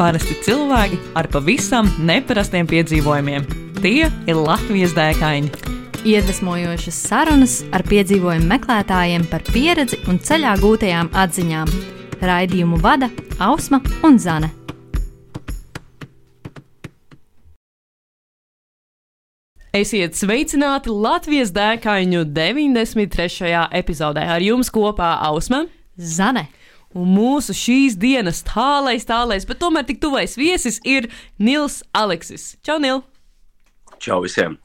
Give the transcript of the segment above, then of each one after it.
Parasti cilvēki ar pavisam neparastiem piedzīvojumiem. Tie ir Latvijas dēkaini. Iedvesmojošas sarunas ar piedzīvojumu meklētājiem par pieredzi un ceļā gūtajām atziņām. Raidījumu vada Ausma un Zane. Esiet sveicināti Latvijas dēkaņu 93. epizodē. Ar jums kopā Ausma, Zane. Un mūsu šīs dienas tālais, bet tomēr tik tuvais viesis ir Nils Aleksis. Čau, Nil! Čau visiem!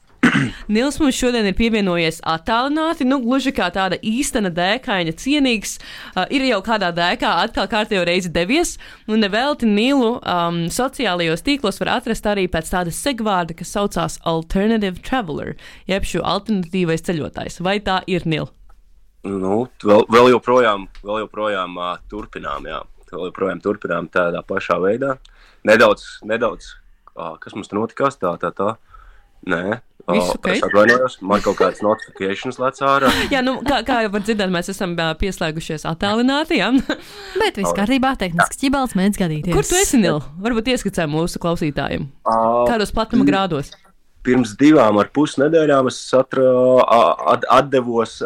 Nils mums šodien ir pievienojies attālināti, gluži kā tāda īstena dēkaņa cienīgs. Ir jau kādā dēkā atkal kārtējo reizi devies, un nevelti Nilu sociālajos tīklos var atrast arī pēc tāda segvārda, kas saucās Alternative Traveler, jeb šo alternatīvais ceļotājs. Vai tā ir, Nil? Vēl joprojām turpinām, jā. Vēl joprojām turpinām tādā pašā veidā. Nedaudz, kas mums te notikās, tā. Nē. Visu ok? Es atvainojos, man kaut kādas notifications lec ārā. Jā, kā jau var dzirdēt, mēs esam pieslēgušies attālināti, jā? Bet viss kārtībā, tehnisks ķibals mēdz gadīties. Kur tu esi, Nil? Varbūt ieskicē mūsu klausītājiem. Kādos platuma grādos? Pirms 2,5 nedēļām es atdevos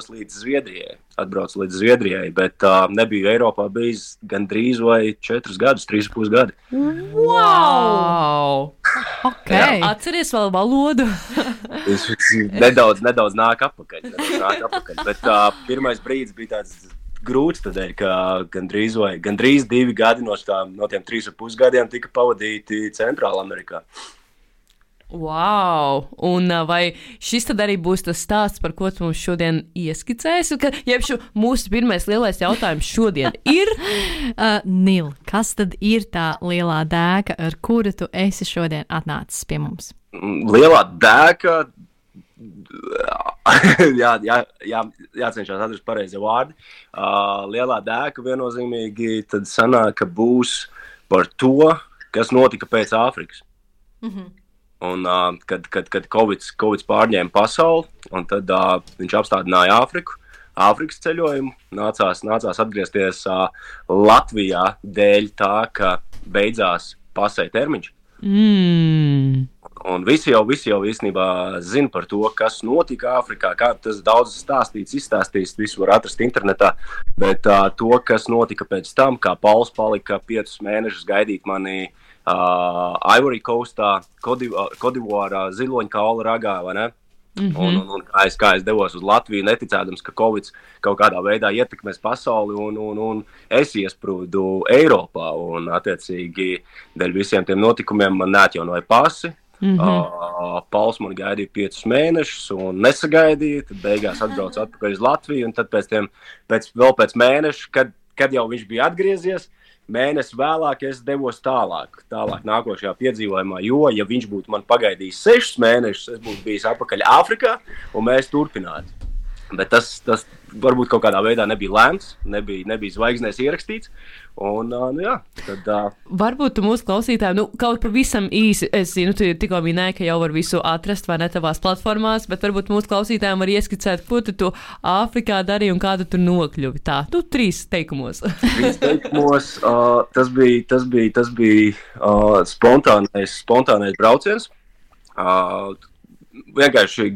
līdz Zviedrijai. Atbraucu līdz Zviedrijai, bet nebiju Eiropā bijis gandrīz vai 4 gadus, 3,5 gadi. Wow! Okay. Atceries vēl valodu? nedaudz nāk apakaļ. Bet pirmais brīdis bija tāds grūts, tādēļ, ka gandrīz 2 gadi no tiem 3,5 gadiem tika pavadīti Centrāla Amerikā. Wow! Un vai šis tad arī būs tas stāsts, par ko tu mums šodien ieskicēsi? Jebšu mūsu pirmais lielais jautājums šodien ir? Nil, kas tad ir tā lielā dēka, ar kuru tu esi šodien atnācis pie mums? Lielā dēka, jācenšas atrast pareizie vārdi. Lielā dēka viennozīmīgi tad sanāk, ka būs par to, kas notika pēc Āfrikas. Mhm. Un, kad Covid pārņēma pasauli, un tad viņš apstādināja Āfrikas ceļojumu, nācās atgriezties Latvijā dēļ tā, ka beidzās pasē termiņš. Un visi jau īstenībā zina par to, kas notika Āfrikā, kā tas daudz izstāstīts, visu var atrast internetā, bet to, kas notika pēc tam, kā Pauls palika 5 mēnešus gaidīt mani Ivory Coastā, Kodivārā, ziloņkaula ragā, vai ne? Mm-hmm. Un kā es devos uz Latviju, neticēdams, ka Covid kaut kādā veidā ietekmēs pasauli, un es iesprūdu Eiropā, un attiecīgi dēļ visiem tiem notikumiem man neatjaunoja pasi. Mm-hmm. Pauls man gaidīja 5 mēnešus un nesagaidīja, tad beigās atbraucu atpakaļ uz Latviju, un tad pēc mēneša, kad jau viņš bija atgriezies, mēnesi vēlāk es devos tālāk nākošajā piedzīvojumā, jo, ja viņš būtu man pagaidījis 6 mēnešus, es būtu bijis atpakaļ Āfrikā, un mēs turpinātu. Bet tas varbūt kaut kādā veidā nebija lēmts, nebija zvaigznēs ierakstīts, un, jā, tad... Varbūt tu mūsu klausītājiem, kaut pavisam īsi, es zinu, tu tikko minēji, ka jau var visu atrast, vai ne, tavās platformās, bet varbūt mūsu klausītājiem var ieskicēt, ko tu Āfrikā darīji un kādu tur nokļuvi. Tā, 3 teikumos. 3 teikumos, tas bija spontānais brauciens, vienkārši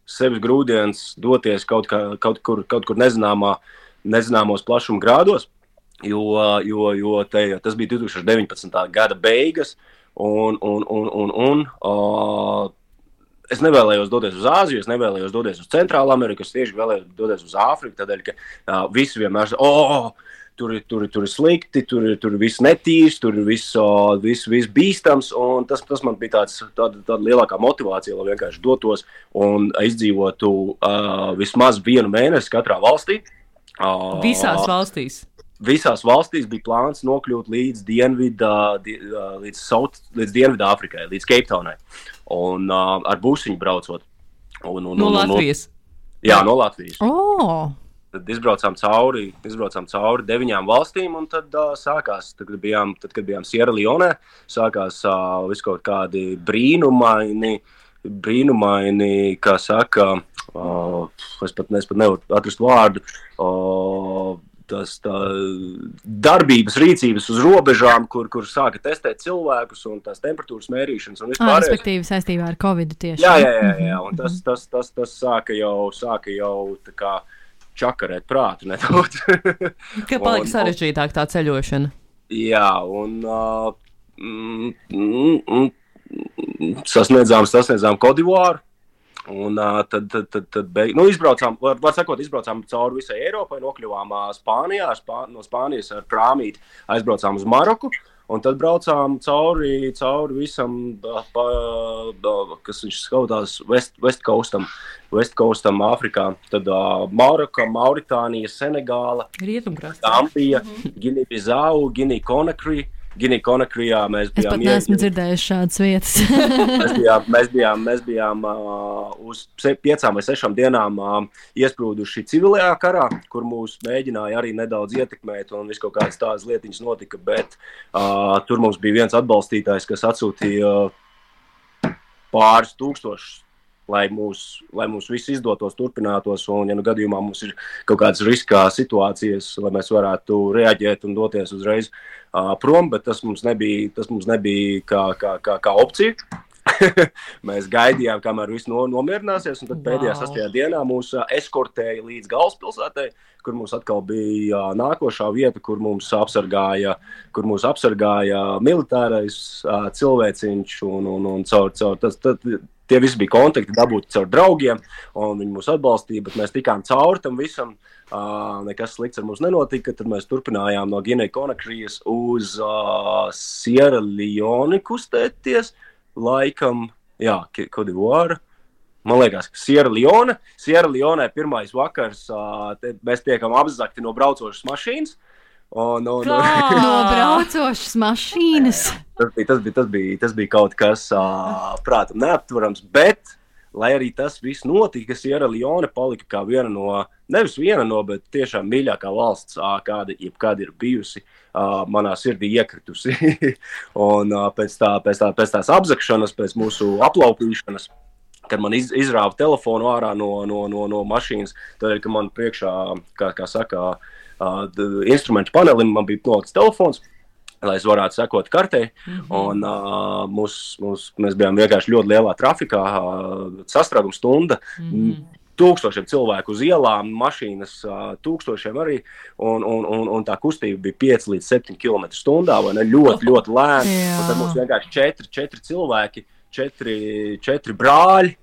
sevis grūdienis doties kaut kur nezināmos plašuma grādos, jo tas bija 2019. Gada beigas, un es nevēlējos doties uz Āziju, es nevēlējos doties uz Centrālu Ameriku, es tieši vēlējos doties uz Āfriku, tādēļ, ka visi vienmēr tur ir slikti, tur viss netīrs, tur viss bīstams, un tas man bija tāda lielākā motivācija, lai vienkārši dotos un izdzīvotu vismaz 1 mēnesi katrā valstī. Visās valstīs? Visās valstīs bija plāns nokļūt līdz Dienvidā Āfrikai, līdz Cape Townai, un ar busiņu braucot. No Latvijas? Jā, no Latvijas. Tad izbraucām cauri 9 valstīm, un tad sākās, kad bijām Sierra Leone, sākās viskaut kādi brīnumaini, kā saka, es pat nevaru atrast vārdu, darbības, rīcības uz robežām, kur sāka testēt cilvēkus un tās temperatūras mērīšanas un vispārējais. Respektīvi saistībā ar Covidu tieši. Jā, un tas sāka jau tā kā čakarēt prātu nedaudz. Ka palika sarežģītāk tā ceļošana. Jā, un sasniedzām Kodivāru. Un tad izbraucām, izbraucām cauri visai Eiropai, nokļuvām Spānijā, no Spānijas ar prāmīti aizbraucām uz Maroku, un tad braucām cauri visam, kas viņš skautās, West Coastam Āfrikā, tad Maroka, Mauritānija, Senegāla, Gambija, Gini-Bizau, Gini-Konakrijā mēs bijām. Es pat neesmu dzirdējuši šādas vietas. mēs bijām uz 5 vai 6 dienām iesprūduši civilajā karā, kur mūs mēģināja arī nedaudz ietekmēt un viss kaut kādas tādas lietiņas notika, bet tur mums bija viens atbalstītājs, kas atsūtīja pāris tūkstošus, lai mums viss izdotos, turpinātos, un ja gadījumā mums ir kaut kādas riskā situācijas, lai mēs varētu reaģēt un doties uzreiz prom, bet tas mums nebija kā opcija. Mēs gaidījām, kamēr viss nomierināsies, un tad pēdējā 6. dienā mūs eskortēja līdz galvaspilsētai, kur mums atkal bija nākošā vieta, kur mūs apsargāja militārais cilvēciņš, un caur tie visi bija kontakti dabūti caur draugiem, un viņi mūs atbalstīja, bet mēs tikām cauri tam visam, nekas slikts ar mums nenotika, tad mēs turpinājām no Gini-Konakrijas uz Sierra Leone kustēties, laikam, Kodivāra. Man liekas, ka Sierra Leone pirmais vakars, mēs tiekam apzakti no braucošas mašīnas. No braucošas mašīnas. Tas bija kaut kas prātam neaptverams, bet, lai arī tas viss notika, Sierra Leone palika kā bet tiešām mīļākā valsts, kāda jebkad ir bijusi, manā sirdī iekritusi. Un pēc tās apzakšanas, pēc mūsu aplaupīšanas, kad man izrāva telefonu ārā no mašīnas, tad, ka man priekšā, kā saka, instrumentu panelim, man bija nolikts telefons, lai es varētu sekot kartei, un mēs bijām vienkārši ļoti lielā trafikā, sastrēguma stunda, tūkstošiem cilvēku uz ielām, mašīnas tūkstošiem arī, un tā kustība bija 5 līdz 7 km/h, vai ne, ļoti lēni, un tad mums vienkārši 4 cilvēki, 4 brāļi,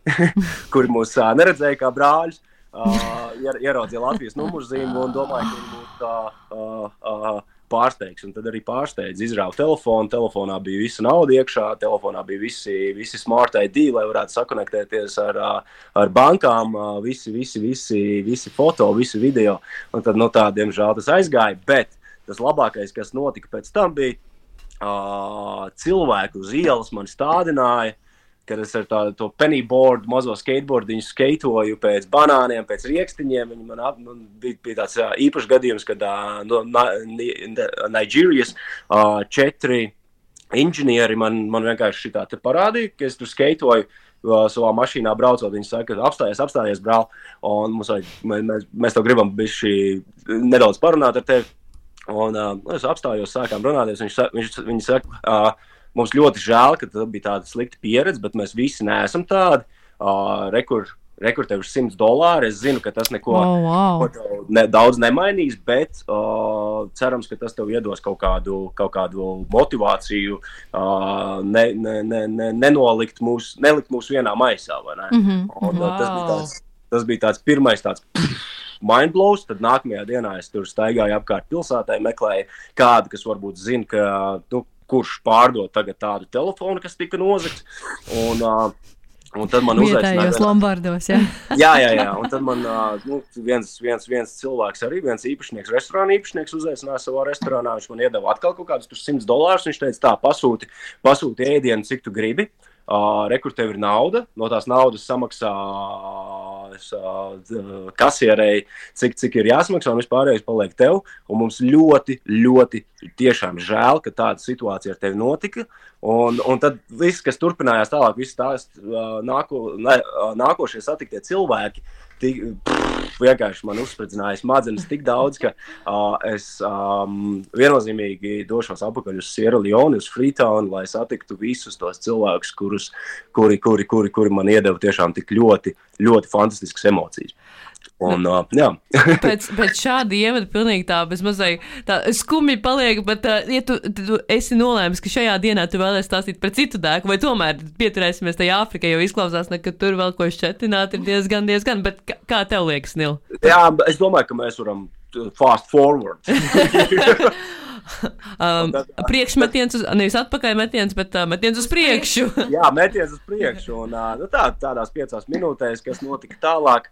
kuri mūs neredzēja kā brāļus, ieraudzīja Latvijas numurzīmu un domāju, ka viņi būtu pārsteigs. Un tad arī pārsteidz, izrāva telefonu, telefonā bija visa nauda iekšā, telefonā bija visi smart ID, lai varētu sakonektēties ar bankām, visi foto, visi video. Un tad, diemžēl tas aizgāja, bet tas labākais, kas notika pēc tam bija, cilvēku uz ielas mani stādināja, kad es ar to pennyboard, mazo skateboardiņu skaitoju pēc banāniem, pēc riekstiņiem. Man bija tāds īpašs gadījums, kad no Nigērijas 4 inženieri man vienkārši šitā te parādīja, ka es tur skaitoju savā mašīnā braucot. Viņi saka, apstājies, brāl, un mēs tev gribam nedaudz parunāt ar tevi. Un es apstājos, sākām runāties, viņi saka, mums ļoti žēl, ka tā bija tāda slikta pieredze, bet mēs visi neesam tādi. Rekur tev ir $100. Es zinu, ka tas neko daudz nemainīs, bet cerams, ka tas tev iedos kaut kādu motivāciju nelikt mūs vienā maisā, vai ne? Tas bija tāds pirmais tāds mindblows, tad nākamajā dienā es tur staigāju apkārt pilsētai, meklēju kādu, kas varbūt zina, ka kurš pārdod tagad tādu telefonu, kas tika nozagts, un tad man uzaicināja... Vietējos Lombardos, jā. Jā, un tad man viens cilvēks arī, viens īpašnieks, restorāna īpašnieks uzaicināja savā restorānā, viņš man iedeva atkal kaut kādus $100, viņš teica, pasūti ēdienu, cik tu gribi, rekur tev ir nauda, no tās naudas samaksā kasierei, cik ir jāsamaksā, un vispārējais paliek tev, un mums ļoti tiešām žēl, ka tāda situācija ar tevi notika, un tad viss, kas turpinājās tālāk, viss tās nākošie satiktie cilvēki, vienkārši man uzspridzināja smadzenes tik daudz, ka es viennozīmīgi došos apakaļ uz Sierra Leone, uz Freetown, lai satiktu visus tos cilvēkus, kuri man iedeva tiešām tik ļoti, ļoti fantastiskas emocijas. Un, jā. pēc šāda ievada pilnīgi tā bezmazai tā skumji paliek, bet ja tu esi nolēmis, ka šajā dienā tu vēlies stāstīt par citu dēku, vai tomēr pieturēsimies tajā Āfrikā, jo izklausās, ka tur vēl ko šķetināt ir diezgan, bet kā tev liekas, Nil? Jā, es domāju, ka mēs varam fast forward. Priekšmetiens, nevis atpakaļ metiens, bet metiens uz priekšu. Jā, metiens uz priekšu. Un, tādās 5 minūtēs, kas notika tālāk,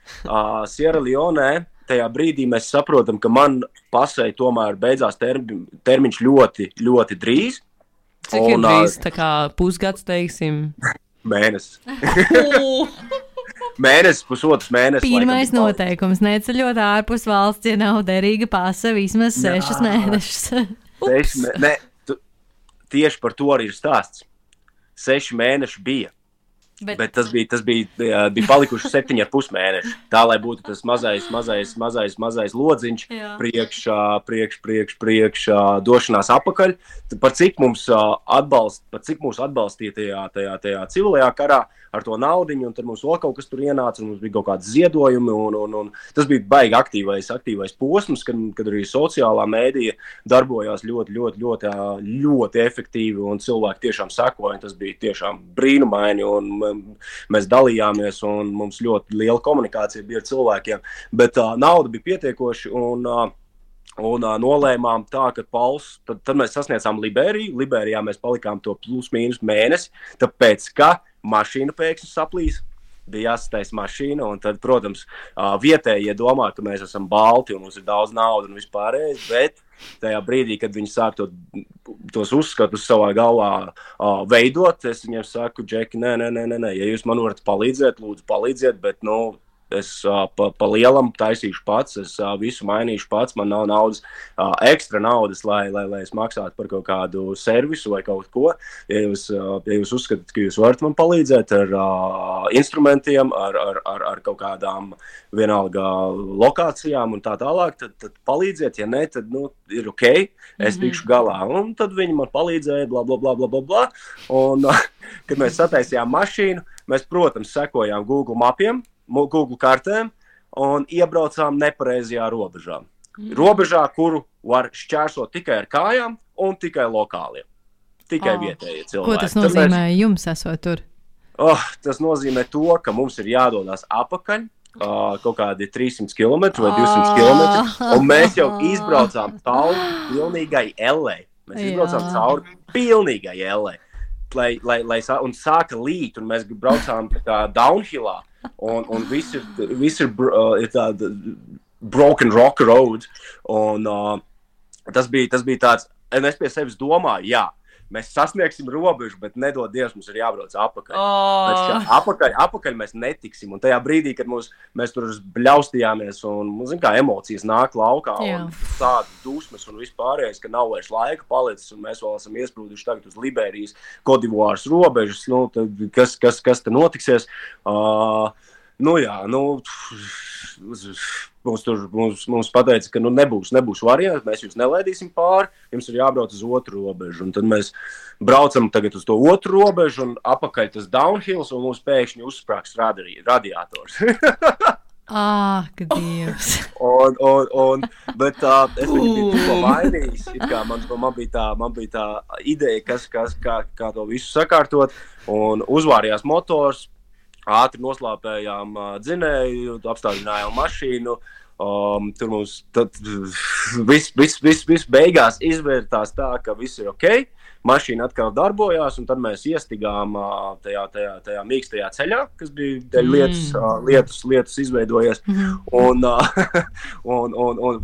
Sierra Leone, tajā brīdī mēs saprotam, ka man pasei tomēr beidzās termiņš ļoti, ļoti drīz. Cik ir drīz, tā kā pusgads, teiksim? Mēnesis. Mēnesis, pusotrs mēnesis. Pirmais noteikums - neceļot ārpus valsts, ja nav derīga pase vismaz 6 mēnešus. Tieši par to arī ir stāsts. 6 mēneši bija. Bet tas bija palikuši 7,5 mēneši. Tā, lai būtu tas mazais lodziņš priekš došanās apakaļ. Par cik mūs atbalstīja tajā civilajā karā ar to naudiņu, un tad mums vēl kaut kas tur ienāca, un mums bija kaut kādi ziedojumi, un tas bija baigi aktīvais posms, kad arī sociālā mēdīja darbojās ļoti efektīvi, un cilvēki tiešām sekoja, tas bija tiešām brīnumaini, un mēs dalījāmies, un mums ļoti liela komunikācija bija ar cilvēkiem, bet nauda bija pietiekoši, un nolēmām tā, ka tad mēs sasniedzām Liberiju. Liberijā mēs palikām to plus mīnus mēnesi, tāpēc, ka mašīna pēkšņi saplīs, bija jāsataisa mašīna, un tad, protams, vietējie domā, ka mēs esam balti, un mums ir daudz naudas un vispārējais, bet tajā brīdī, kad viņi sāk tos uzskatus savā galvā veidot, es viņiem saku, Džeki, nē, ja jūs man varat palīdzēt, lūdzu palīdziet, bet, es pa lielam taisīšu pats, es visu mainīšu pats, man nav naudas, ekstra naudas, lai es maksātu par kaut kādu servisu vai kaut ko. Ja jūs uzskatāt, ka jūs varat man palīdzēt ar instrumentiem, ar kaut kādām vienalga lokācijām un tā tālāk, tad palīdziet, ja ne, tad, ir ok, es tikšu galā. Un tad viņi man palīdzēja, bla, bla, bla, bla, bla, bla. Un, kad mēs sataisījām mašīnu, mēs, protams, sekojām Google mapiem, Google kartēm un iebraucām nepareizajā robežā. Robežā, kuru var šķērsot tikai ar kājām un tikai lokāliem. Tikai vietējie cilvēki. Ko tas nozīmē jums esot tur? Tas nozīmē to, ka mums ir jādodas apakaļ kaut kādi 300 km vai 200 km, un mēs jau izbraucām cauri pilnīgai ellei. Mēs izbraucām cauri pilnīgai ellei. Un sāka līt, un mēs braucām tā downhillā. Un viss ir tāda broken rock road, un tas bija tāds, un es pie sevis domāju, jā, mēs sasniegsim robežu, bet nedod Dievs, mums ir jābrauc apakaļ. Apakaļ mēs netiksim, un tajā brīdī, kad mēs tur bļaustījāmies, un, kā emocijas nāk laukā, un tāda dusmas un vispārējais, ka nav vairs laika palicis, un mēs vēl esam iesprūduši tagad uz Liberijas, Kodivāras robežas, tad kas te notiksies? Mums pateica, ka nebūs variants, mēs jūs nelaidīsim pāri, jums ir jābrauc uz otru robežu. Un tad mēs braucam tagad uz to otru robežu, un apakaļ tas downhills, un mums pēkšņi uzsprāgs radiators. Ka Dievs. Bet es viņu biju tikko mainījis, man bija tā ideja, kā to visu sakārtot, un uzvārījās motors, ātri noslāpējām dzinēju, apstādinājām mašīnu, tur mums viss beigās izvērtās tā, ka viss ir ok, mašīna atkal darbojās, un tad mēs iestigām tajā mīkstajā ceļā, kas bija lietus izveidojies, un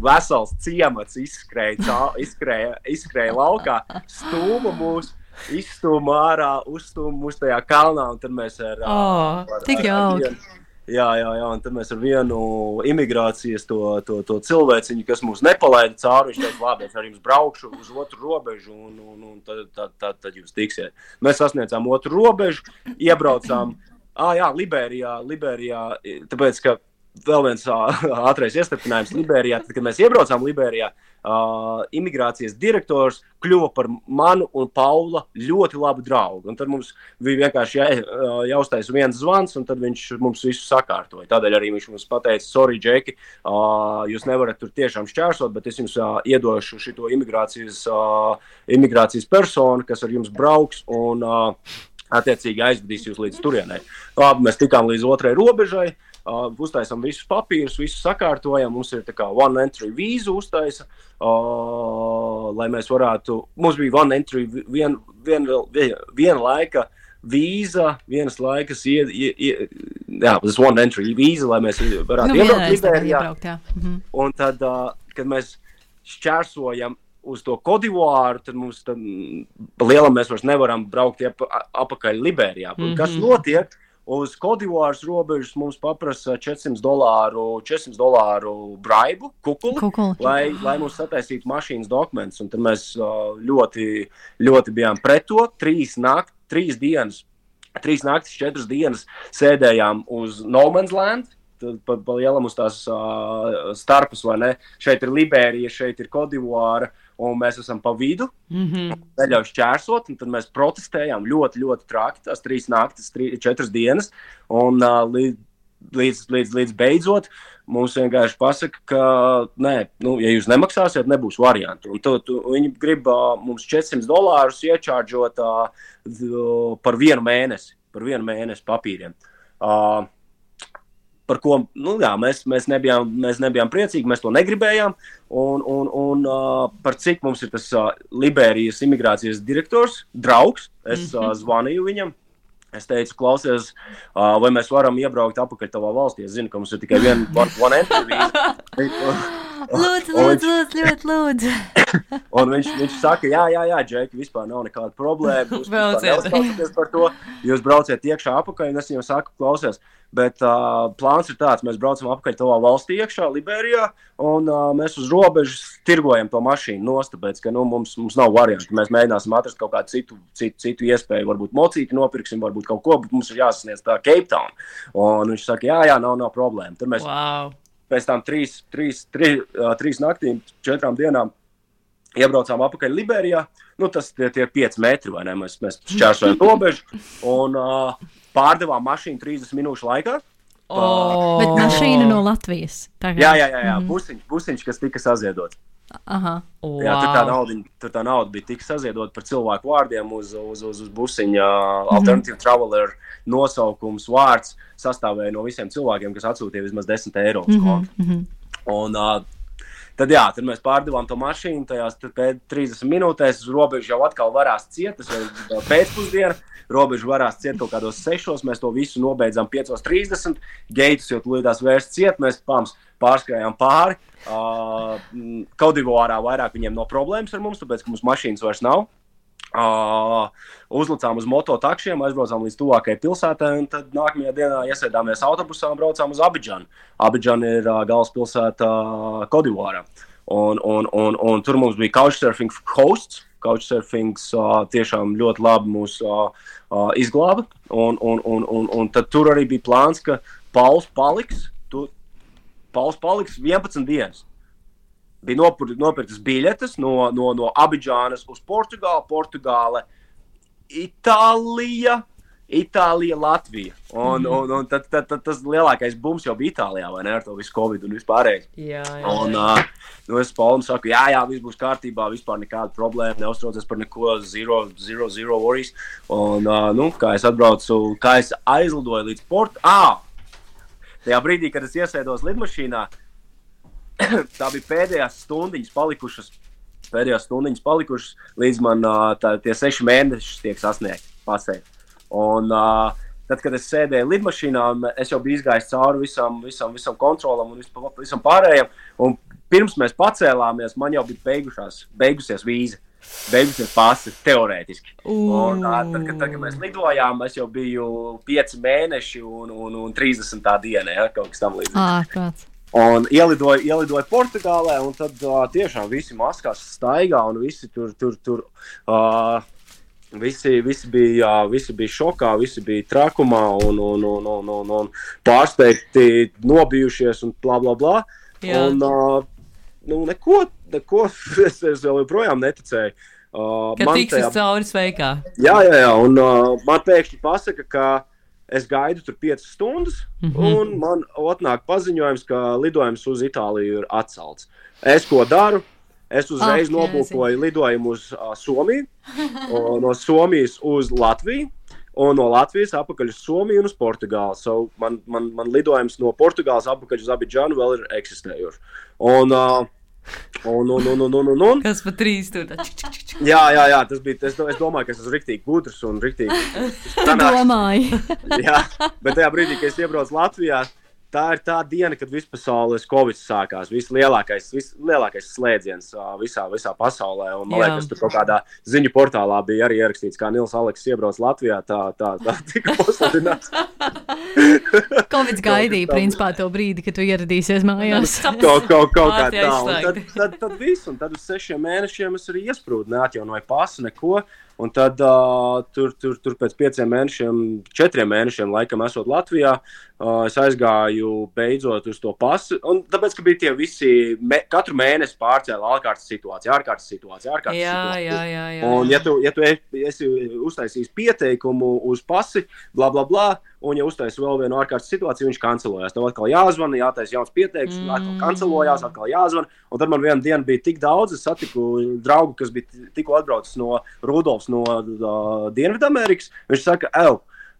vesels ciemats izskrēja laukā, stūma mūs, izstūma ārā, uzstūma mūs tajā kalnā, un tad mēs tik jauki. Jā, un tad mēs ar vienu imigrācijas to cilvēciņu, kas mūs nepalaida cauri, viņš teica, labi, es ar jums braukšu uz otru robežu, un tad jūs tiksiet. Mēs sasniedzām otru robežu, iebraucām, Liberijā, tāpēc, ka vēl viens ātrais iestarpinājums Liberijā. Tad, kad mēs iebraucām Liberijā, imigrācijas direktors kļuva par manu un Paula ļoti labu draugu. Un tad mums bija vienkārši jāuztais viens zvans, un tad viņš mums visu sakārtoja. Tādēļ arī viņš mums pateica, sorry, Džeki, jūs nevarat tur tiešām šķērsot, bet es jums iedošu šito imigrācijas personu, kas ar jums brauks un attiecīgi aizvedīs jūs līdz turienei. Labi, mēs tikām līdz otrai robežai, uztaisam visus papīrus, visu sakārtojam, mums ir tā kā one entry vīzu uztaisa, lai mēs varētu, mums bija one entry, viena laika vīza, vienas laikas, tas one entry vīza, lai mēs varētu iebraukt Liberijā. Un tad, kad mēs šķērsojam uz to Kodivuāru, tad mums lielam mēs vairs nevaram braukt apakaļ Liberijā. Kas notiek? Uz Kodivuāras robežas mums paprasa $400 braibu, kukuli. Lai mums sataisītu mašīnas dokumentus. Un tad mēs ļoti, ļoti bijām pret to. 3 naktis, 4 dienas sēdējām uz No Man's Land. Pa lielam uz tās starpus, vai ne? Šeit ir Liberija, šeit ir Kodivuāra, un mēs esam pa vidu, neļauj šķērsot, un tad mēs protestējām ļoti, ļoti traki, tās 3 naktis, 4 dienas, un līdz beidzot mums vienkārši pasaka, ka nē, ja jūs nemaksāsiet, nebūs variantu. Un viņi grib mums $400 iečārdžot par 1 mēnesi papīriem. Par ko, mēs nebijām priecīgi, mēs to negribējām, un par cik mums ir tas Liberijas imigrācijas direktors, draugs, es zvanīju viņam, es teicu, klausies, vai mēs varam iebraukt apakaļ tavā valstī, es zinu, ka mums ir tikai one entry vīza. Lūdzu. Un viņš saka, jā, Džeki, vispār nav nekāda problēma, jūs neuztraucaties par to, jūs brauciet iekšā apakaļ, un es viņam saku, klausies, bet plāns ir tāds, mēs braucam apakaļ tavā valstī iekšā, Liberijā, un mēs uz robežas tirgojam to mašīnu nost, tāpēc, ka mums nav variantu, mēs mēģināsim atrast kaut kādu citu iespēju, varbūt mocīti nopirksim, varbūt kaut ko, bet mums ir jāsasniedz tā Cape Town. Un viņš saka, jā, nav problēma. Tad mēs pēc tām 3 naktīm, 4 dienām iebraucām apakaļ Liberijā. Tas tie ir 5 metri, vai ne? Mēs šķērsojam robežu un pārdevām mašīnu 30 minūšu laikā. Bet mašīna no Latvijas. Jā. Busiņš, kas tika saziedots. Aha. Wow. Jā, tur tā nauda bija tik saziedota par cilvēku vārdiem uz busiņa Alternative Traveler nosaukums vārds sastāvēja no visiem cilvēkiem, kas atsūtīja vismaz €10 uz kontu. Un tad mēs pārdevām to mašīnu, tajās pēc 30 minūtēs robežu jau atkal varās ciet, tas jau pēcpusdiena, robežu varās ciet kaut kādos 6, mēs to visu nobeidzām 5:30, geitus jau tulīdās vērst ciet, mēs pārskrējām pāri. Kodivuārā vairāk viņiem nav problēmas ar mums, tāpēc, ka mums mašīnas vairs nav. Uzlicām uz mototakšiem, aizbraucām līdz tuvākajai pilsētai, un tad nākamajā dienā iesēdāmies autobusā un braucām uz Abidžanu. Abidžana ir galvaspilsēta Kodivuārā. Un tur mums bija Couchsurfing hosts. Couchsurfings tiešām ļoti labi mūs izglāba. Un tad tur arī bija plāns, ka Pauls paliks 11 dienas. Bija nopirktas biļetes no Abidžānas uz Portugāle, Itālija, Latvija. Un tad tas lielākais bums jau bija Itālijā, vai ne, ar to visu Covid un vispārējais. Jā. Un es Paulam saku, jā, viss būs kārtībā, vispār nekāda problēma, neuztraucies par neko, zero worries. Un, kā es aizlidoju līdz tajā brīdī, kad es iesēdos lidmašīnā, tā bija pēdējās stundiņas palikušas, līdz man tie 6 mēneši tiek sasniegti. Un tad, kad es sēdēju lidmašīnā, es jau biju izgājis cauri visam kontrolam un visam pārējiem, un pirms mēs pacēlāmies, man jau bija beigusies vīza, beigusies pasi, teorētiski. Un tad, kad mēs lidojām, es jau biju 5 mēneši un 30. diena, ja, kaut kas tam līdzīgs. Un ielidoju Portugālē, un tad tiešām visi maskās staigā, un visi tur Visi bija šokā, visi bija trakumā un pārsteigti, nobijušies un blā, blā, blā. Jā. Un neko es vēl joprojām neticēju. Ka tiksies cauri sveikā. Jā, un man pēkšņi pasaka, ka es gaidu tur 5 stundas, un man atnāk paziņojums, ka lidojums uz Itāliju ir atcelts. Es ko daru? Es uzreiz nobūkoju lidojumu uz Somiju, no Somijas uz Latviju, un no Latvijas atpakaļ uz Somiju un uz Portugāli. So man lidojums no Portugāles atpakaļ uz Abidžanu vēl ir eksistējoši. Un Kas pa 3 tur? Jā, tas bija, es domāju, ka es esmu riktīgi gudrs un riktīgi. Domāju. Jā, bet tajā brīdī, kad es iebraucu Latvijā, tā ir tā diena, kad vispasaules Covid sākās, vislielākais slēdziens visā pasaulē, un man liekas, tur kaut kādā ziņu portālā bija arī ierakstīts, kā Nils Aleks iebrauc Latvijā, tā tika pasludināts. Covid gaidīja, principā, to brīdi, kad tu ieradīsies mājās. Kaut kā tā, un tad viss, un tad uz 6 mēnešiem es arī iesprūdu, neatjaunoju pasu, neko. Un tad tur pēc 5 mēnešiem, 4 mēnešiem laikam esot Latvijā, es aizgāju beidzot uz to pasu. Un tāpēc, ka bija tie visi, katru mēnesi pārcēla ārkārtas situācija. Jā. Un ja tu esi uztaisījis pieteikumu uz pasi, blā, blā, blā, un ja uztaisi vēl vienu ārkārtas situāciju, viņš kancelojās. Tev atkal jāzvana, jātais jauns pieteikums, atkal kancelojās, atkal jāzvana. Un tad man vienu dienu bija tik daudz, es satiku draugu, kas bija tikko atbraucis no Rudolfs no Dienvidamerikas. Viņš saka,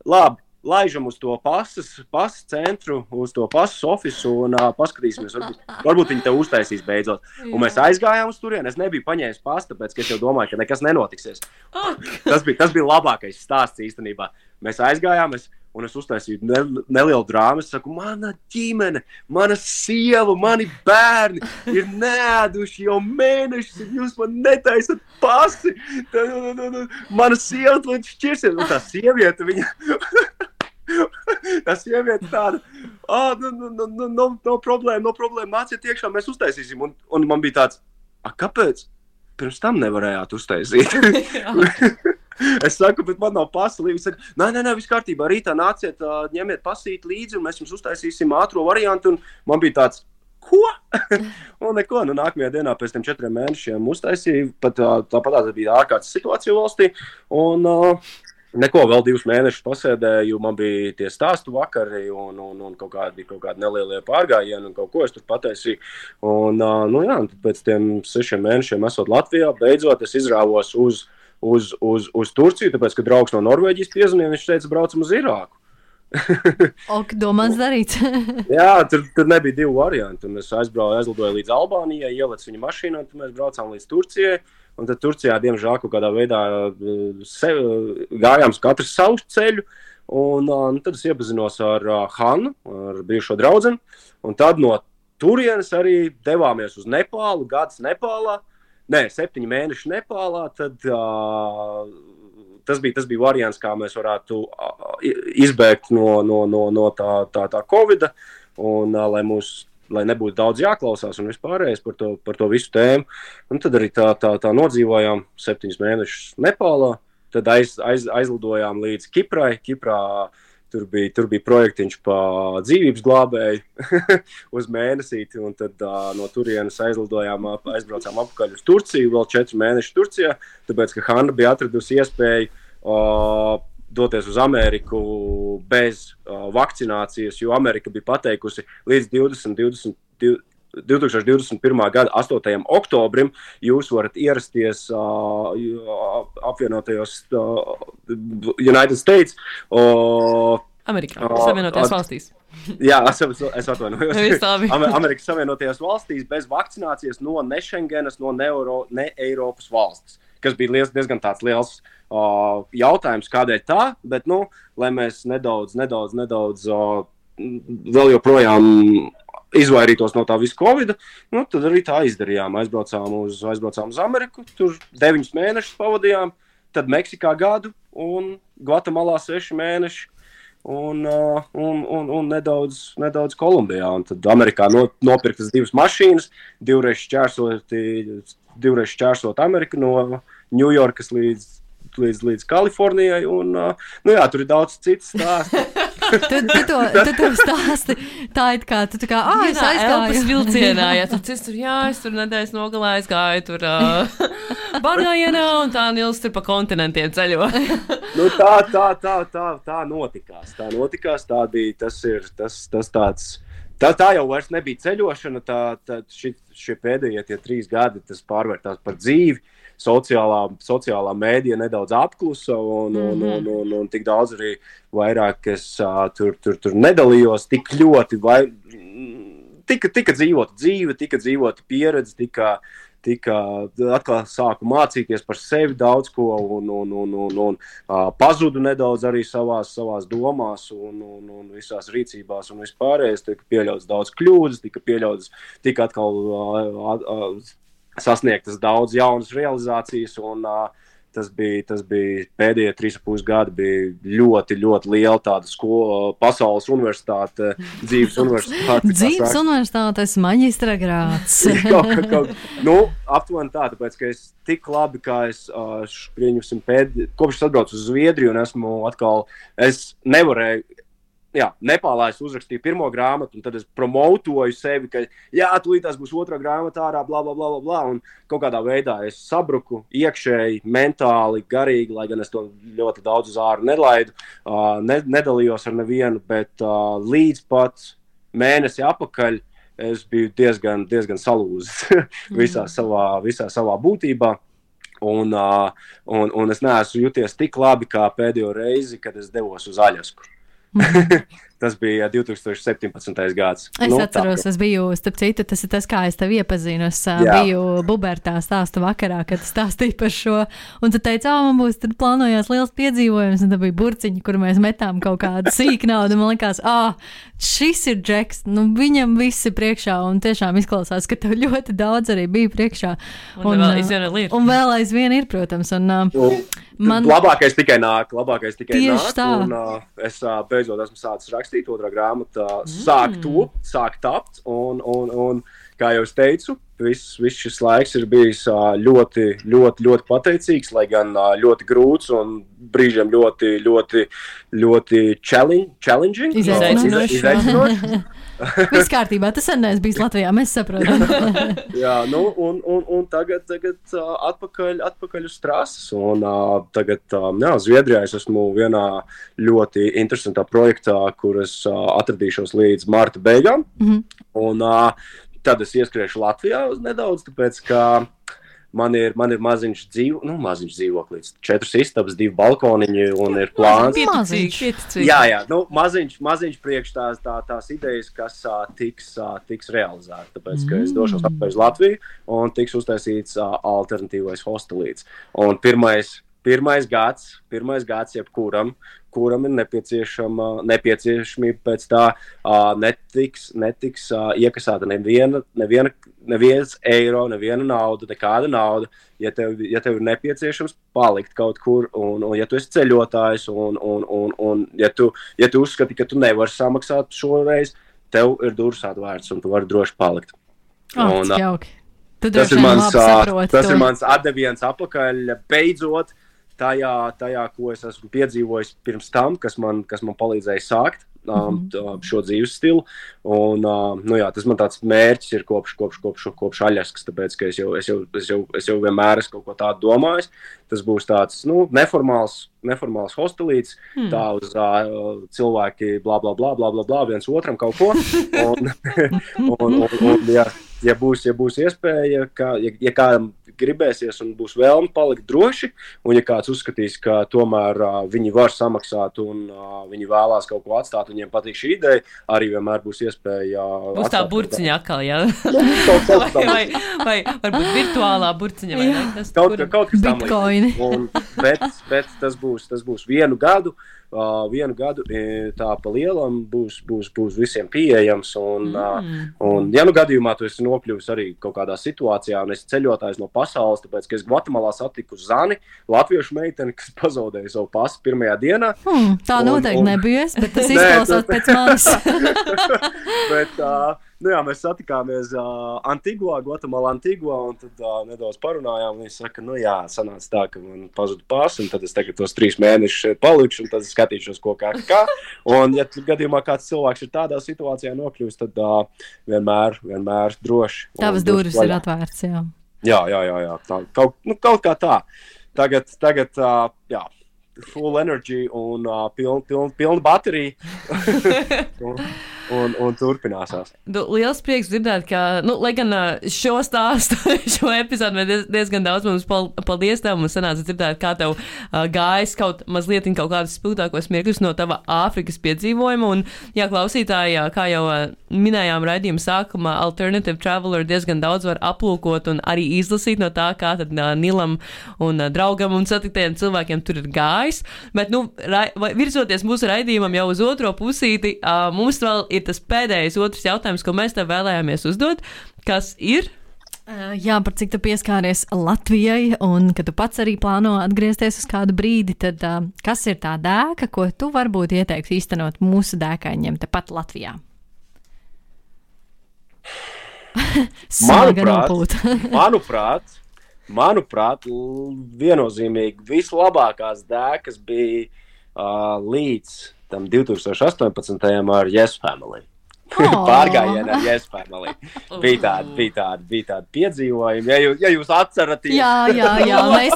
labi, laižam uz to pasas centru, uz to pasas ofisu un paskatīsimies, varbūt viņi tev uztaisīs beidzot. Un mēs aizgājām uz turieni, es nebiju paņēmis pastu, tāpēc, ka es jau domāju, ka nekas nenotiksies. Tas bija labākais stāsts īstenībā. Mēs aizgājām, un es uztaisīju nelielu drāmu. Es saku, mana ģimene, mana sieva, mani bērni ir neēduši jau mēnešus, un jūs man netaisat pasi. Mana sieva līdz šķirsies. Un tā sieviete, tā sieviete tāda, no problēma, nāciet iekšā, mēs uztaisīsim. Un man bija tāds, kāpēc? Pirms tam nevarējāt uztaisīt. Es saku, bet man nav pasa līdzi. Viņš saka, nē, viss kārtībā, rītā nāciet, ņemiet pasīt līdzi, un mēs jums uztaisīsim ātro variantu. Un man bija tāds, ko? Un neko, nākamajā dienā pēc tiem 4 mēnešiem uztaisīju, tāpat bija ārkārtas situācija valstī, un neko, vēl 2 mēnešus pasēdēju, man bija tie stāstu vakari, un kaut kādi nelielie pārgājieni, un kaut ko es tur pataisīju. Un, tad pēc tiem 6 mēnešiem esot Latvijā, beidzot es izrāvos uz Turciju, tāpēc, ka draugs no Norvēģijas piezvanīja, viņš teica, braucam uz Irāku. Domāts darīts. Jā, tur nebija 2 varianti, un es aizlidoju līdz Albānijai, ielecu viņu mašīnā, un mēs braucām līdz Turcijai, un tad Turcijā, diemžēl, kaut kādā veidā gājām katrs savu ceļu, un tad es iepazinos ar Hannu, ar bijušo draudzeni, un tad no turienes arī devāmies uz Nepālu, gads Nepālā, 7 mēneši Nepālā, tad tas bija variants, kā mēs varētu izbēgt no tā Covida, un lai nebūtu daudz jāklausās un vispārējais par to visu tēmu. Un tad arī tā nodzīvojām 7 mēnešus Nepālā, tad aizlidojām līdz Kiprai. Kiprā tur bija projektiņš pa dzīvības glābēju uz mēnesīti, un tad no turienes aizbraucām apakaļ uz Turciju, vēl 4 mēneši Turcijā, tāpēc, ka Hanna bija atradusi iespēju doties uz Ameriku bez vakcinācijas, jo Amerika bija pateikusi līdz 2021. gada 8. oktobrim jūs varat ierasties apvienotajos United States. Amerikā, Savienotajās valstīs. Jā, es atvainojos. Amerikas Savienotajās valstīs bez vakcinācijas no ne Schengenas, no ne Eiropas valstis, kas bija diezgan tāds liels jautājums, kādēļ tā, bet, lai mēs nedaudz vēl joprojām izvairītos no tā visu Covida, tad arī tā izdarījām. Aizbraucām uz Ameriku, tur 9 mēnešus pavadījām, tad Meksikā gadu un Gvatemalā 6 mēneši un nedaudz Kolumbijā. Un tad Amerikā nopirktas 2 mašīnas, divreiz šķērsot Ameriku no Ņujorkas līdz līdz Kalifornijai, un, tur ir daudz citas stāsti. Tu to stāsti tā it kā, tu tā kā, es aizgāju. Elpas vilcienā, es tur nedēļas nogalā aizgāju, tur Bagājienā, un tā Nils tur pa kontinentiem ceļo. Tā notikās, tā bija, tas tāds. Tā jau vairs nebija ceļošana, šie pēdējie 3 gadi, tas pārvērtās par dzīvi, sociālā mēdija nedaudz apklusa, un tik daudz arī vairāk es tur nedalījos, tik ļoti, tika dzīvota dzīve, tika dzīvota pieredze, atkal sāku mācīties par sevi daudz ko, un pazudu nedaudz arī savās domās un visās rīcībās un vispārējais, tika pieļauts daudz kļūdas, tika atkal sasniegtas daudz jaunas realizācijas, un tas bija pēdējie 3,5 gadi, bija ļoti, ļoti liela tāda pasaules universitāte, dzīves universitāte. Dzīves universitātes maģistra grāds. Aptuveni tā, tāpēc, ka es tik labi, kā es kopš es atbraucu uz Zviedriju, un es nevarēju, Nepālā es uzrakstīju pirmo grāmatu, un tad es promotoju sevi, ka tūlītās būs otrā grāmata ārā, bla, bla, bla, bla, un kaut kādā veidā es sabruku iekšēji, mentāli, garīgi, lai gan es to ļoti daudz uz āru nelaidu, nedalījos ar nevienu, bet līdz pat mēnesi apakaļ es biju diezgan salūzis visā savā būtībā. Un es neesmu juties tik labi kā pēdējo reizi, kad es devos uz Aļasku. Tas bija 2017. gads. Es atceros, es biju, starp citu, tas ir tas, kā es tevi iepazinu. Es biju Bubertā stāstu vakarā, kad stāstīju par šo, un tu teici, man būs, tad plānojās liels piedzīvojums, un tad bija burciņi, kur mēs metām kaut kādu sīku naudu, man likās, šis ir Džeks, viņam viss ir priekšā, un tiešām izklausās, ka tev ļoti daudz arī bija priekšā. Un vēl aizvien ir, protams, labākais tikai nāk, tā. Un es beidzot esmu sācis rakstīt, otrā grāmata sāk tapt, un kā jau es teicu, viss šis laiks ir bijis ļoti, ļoti, ļoti pateicīgs, lai gan ļoti grūts un brīžiem ļoti, ļoti, ļoti challenging. Izaicinoši. Viss kārtībā, tas sen neesmu bijis Latvijā, mēs saprotam. Un tagad atpakaļ uz trases, un tagad, Zviedrijā es esmu vienā ļoti interesantā projektā, kur es atradīšos līdz marta beigām, un tad es ieskriešu Latvijā nedaudz, tāpēc, ka man ir maziņš dzīvoklīts, 4 istabas, 2 balkoniņi, un ir plāns. Pieticīgi. Jā, maziņš priekš tās idejas, kas tiks realizēta, tāpēc, ka es došos atpakaļ uz Latviju, un tiks uztaisīts alternatīvais hostelīts. Un pirmais gads jebkuram, kuram ir nepieciešamība pēc tā, netiks iekasēta neviens eiro, neviena nauda, nekāda nauda, ja tev ir nepieciešams palikt kaut kur, un ja tu esi ceļotājs, un ja tu uzskati, ka tu nevari samaksāt šoreiz, tev ir durvis atvērts, un tu vari droši palikt. Jauki. Tas ir mans atdeviens apakaļ, beidzot, tajā, ko es esmu piedzīvojis pirms tam, kas man palīdzēja sākt šo dzīves stilu. Un, tas man tāds mērķis ir kopš Aļaskas, tāpēc, ka es jau vienmēr esmu kaut ko tādu domājis. Tas būs tāds, neformāls hostelīts, tā uz cilvēki blā, blā, blā, blā, blā, blā, viens otram kaut ko. Ja būs iespēja, ja kādam gribēsies un būs vēlme palikt droši, un ja kāds uzskatīs, ka tomēr viņi var samaksāt un viņi vēlās kaut ko atstāt, viņiem patīk šī ideja, arī vienmēr būs iespēja būs tā burciņa atkal, jā? vai varbūt virtuālā burciņa, vai ne? Kaut kas tam līdz. Bet tas būs 1 gadu, vienu gadu tā pa lielam būs visiem pieejams. Un ja nu gadījumā tu esi nokļuvis arī kaut kādā situācijā un esi ceļotājs no pasaules, tāpēc, ka es Gvatemalā satiku Zani, latviešu meiteni, kas pazaudēja savu pasu pirmajā dienā. Tā noteikti nebija es, bet tas izklausās pēc manis. Bet, mēs satikāmies Gvatemalā Antigua, un tad nedaudz parunājām. Viņi saka, sanāca tā, ka man pazuda pasa, un tad es tagad tos 3 mēnešus šeit palikšu, un tad es skatīšos, ko kā. Un, ja gadījumā kāds cilvēks ir tādā situācijā nokļūst, tad vienmēr droši. Tavas durvis ir atvērts, jā. Jā. Tā, kaut kā tā. Tagad full energy un pilna baterija. un turpināsās. Liels prieks dzirdēt, ka, lai gan šo stāstu, šo epizodu mēs diezgan daudz mums paldies tev, mums sanāca dzirdēt, kā tev gājis kaut mazliet kaut kādus spilgtākos mirkļus no tava Āfrikas piedzīvojuma, un, klausītāji, kā jau minējām raidījuma sākumā, Alternative Traveler diezgan daudz var aplūkot un arī izlasīt no tā, kā tad Nilam un draugam un satiktiem cilvēkiem tur ir gājis, bet, virzoties mūsu raidījumam jau uz otro pusīti, mums vēl ir tas pēdējais otrs jautājums, ko mēs tev vēlējāmies uzdot, kas ir? Jā, par cik tu pieskāries Latvijai un ka tu pats arī plāno atgriezties uz kādu brīdi, tad kas ir tā dēka, ko tu varbūt ieteiktu īstenot mūsu dēkaņiem tepat Latvijā? Manuprāt, viennozīmīgi vislabākās dēkas bija līdz tam 2018. ar Yes Family. Pārgājienā ar Yes Family. Bija tādi piedzīvojumi. Ja jūs atceraties. Jā,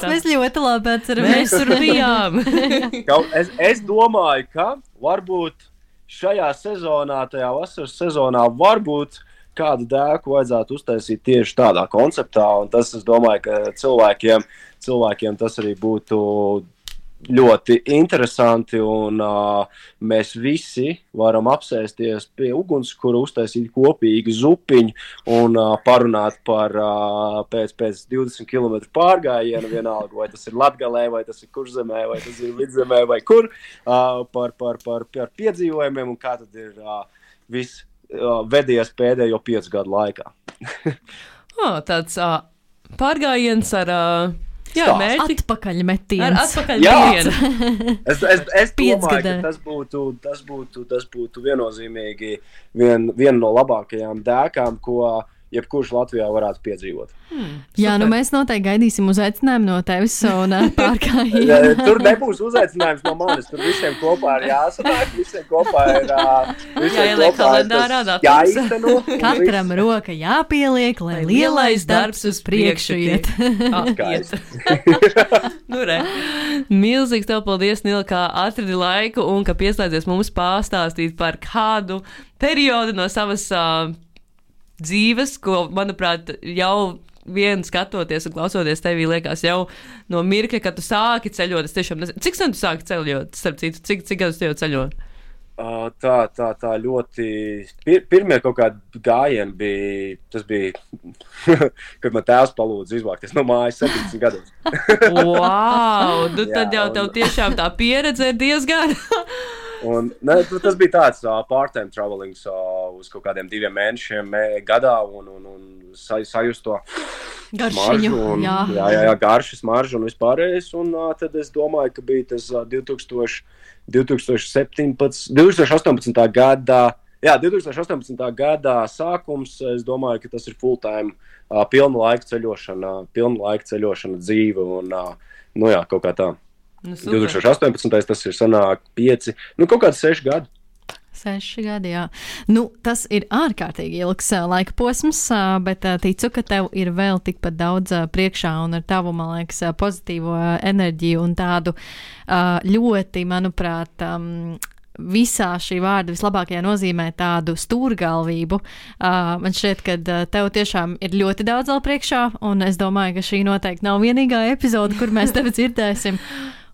mēs ļoti labi atceramies. Mēs tur bijām. Es domāju, ka varbūt šajā sezonā, tajā vasaras sezonā, varbūt kādu dēku vajadzētu uztaisīt tieši tādā konceptā, un tas, es domāju, ka cilvēkiem tas arī būtu ļoti interesanti, un mēs visi varam apsēsties pie ugunskura, uztaisīt kopīgi zupiņu un parunāt par pēc 20 km pārgājienu, vienalga, vai tas ir Latgalē, vai tas ir Kurzemē, vai tas ir Vidzemē, vai kur, par piedzīvojumiem, un kā tad ir viss vedies pēdējo 5 gadu laikā. Tāds pārgājiens ar mērķi. Atpakaļmetiens. Atpakaļmetienu. Es domāju, ka tas būtu viennozīmīgi viena no labākajām dēkām, ko jebkurš Latvijā varētu piedzīvot. Jā, mēs noteikti gaidīsim uzaicinājumu no tevis un pārgājienu. Tur nebūs uzaicinājums no manis, tur visiem kopā ir jāsanāk, visiem kopā ir jāieliek kalendārā datums. Jāizteno. Katram roka jāpieliek, lai lielais darbs uz priekšu iet. Milzīgs tev paldies, Nila, kā atradi laiku un ka pieslēdzies mums pastāstīt par kādu periodu no savas dzīves, ko, manuprāt, jau vien skatoties un klausoties tevī liekas jau no mirkļa, kad tu sāki ceļot. Es tiešām nezinu, cik sen tu sāki ceļot, starp citu, cik gadus tu jau ceļo? Tā ļoti. Pirmie kaut kādi gājieni bija, tas bija, kad man tēvs palūdza izvākties no mājas 17 gados. Wow, tad jau tev tiešām tā pieredze ir diezgan. Tas bija tāds part-time travelings uz kaut kādiem 2 mēnešiem gadā un sajust to garšiņu. Jā, garši, smaržu un vispārējais. Un tad es domāju, ka bija tas 2018. gadā sākums. Es domāju, ka tas ir full-time pilna laika ceļošana dzīve un kaut kā tā. 2018. tas ir sanāk 5, kaut kāds 6 gadi. 6 gadi, jā. Tas ir ārkārtīgi ilgs laika posms, bet ticu, ka tev ir vēl tikpat daudz priekšā un ar tavu, man liekas, pozitīvo enerģiju un tādu ļoti, manuprāt, visā šī vārda vislabākajā nozīmē tādu stūrgalvību. Man šķiet, ka tev tiešām ir ļoti daudz vēl priekšā, un es domāju, ka šī noteikti nav vienīgā epizode, kur mēs tevi dzirdēsim.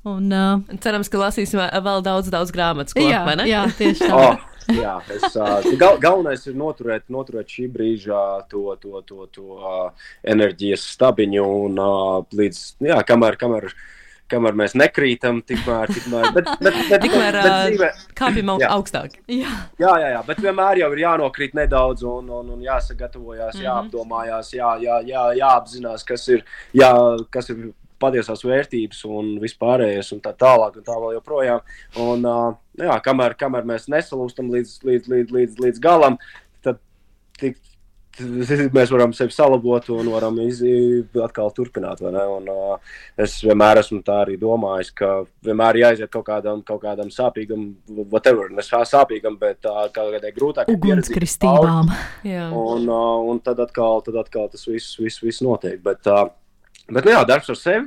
Un, cerams, ka lasīsim vēl daudz grāmatas, vai ne? Jā, tieši tā. Galvenais ir noturēt šī brīža to enerģijas stabiņu un līdz, kamēr kamēr mēs nekrītam, tikmēr kāpjam augstāk. Jā, bet vienmēr jau ir jānokrīt nedaudz un jāsagatavojās, jāapdomājās, jāapzinās, kas ir patiesās vērtības un vispārējais un tā tālāk un tā vēl joprojām. Un, kamēr mēs nesalūstam līdz galam, tad mēs varam sevi salabot un varam atkal turpināt, vai ne? Un es vienmēr esmu tā arī domājis, ka vienmēr jāiziet kaut kādam sāpīgam, whatever, ne sāpīgam, bet kādai grūtākai ugunskristībām. Un tad atkal tas viss notiek. Bet darbs ar sevi.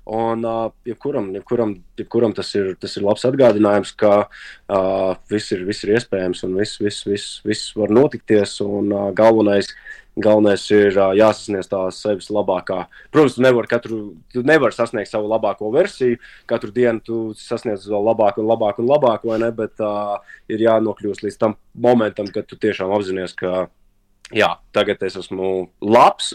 Un jebkuram tas ir labs atgādinājums, ka viss ir iespējams un viss var notikties. Un galvenais ir jāsasniedz tā sevis labākā. Protams, tu nevari sasniegt savu labāko versiju. Katru dienu tu sasniedz vēl labāku, vai ne? Bet ir jānokļūst līdz tam momentam, kad tu tiešām apzinies, ka tagad es esmu labs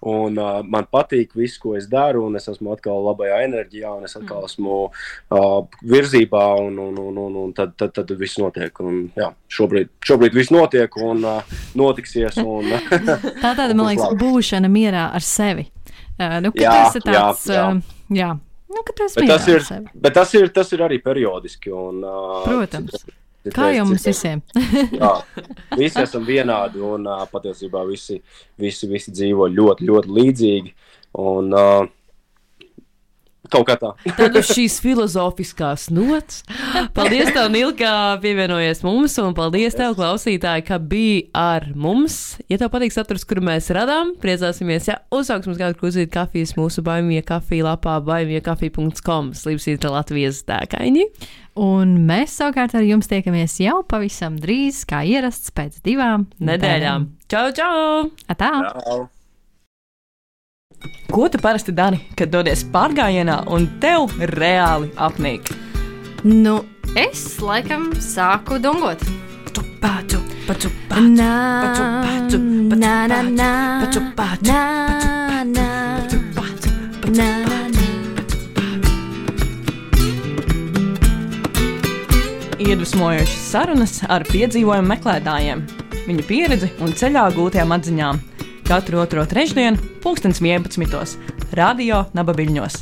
un man patīk viss, ko es daru, un es esmu atkal labajā enerģijā, un es atkal esmu virzībā, un tad viss notiek. Un, šobrīd viss notiek un notiksies. Un, tāda, man liekas, būšana mierā ar sevi. Tas ir tāds, ka tu esi mierā ar sevi. Bet tas ir arī periodiski. Un, protams. Kā jau mums visiem. Visi esam vienādi un patiesībā visi dzīvo ļoti, ļoti līdzīgi. Un kaut kā tā. Tad uz šīs filozofiskās nots. Paldies tev, Nīl, ka pievienojies mums, un paldies tev, klausītāji, ka bija ar mums. Ja tev patīk saturs, kuru mēs radām, priecāsimies, uzsauks mums kādu krūzīt kafijas mūsu Baimie kafija lapā baimiekafija.com Slīpsītra Latvijas dēkaini. Un mēs savukārt ar jums tiekamies jau pavisam drīz, kā ierasts pēc 2 nedēļām. Čau! Atā! Čau! Ko tu parasti dari, kad dodies pārgājienā un tev reāli apnīk? Es laikam sāku dungot. Iedvesmojošas sarunas ar piedzīvojumu meklētājiem, viņu pieredzi un ceļā gūtajām atziņām. Katru otro trešdienu, 11:00, Radio Naba Viļņos.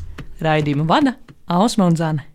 Raidījumu vada Ausma un Zane.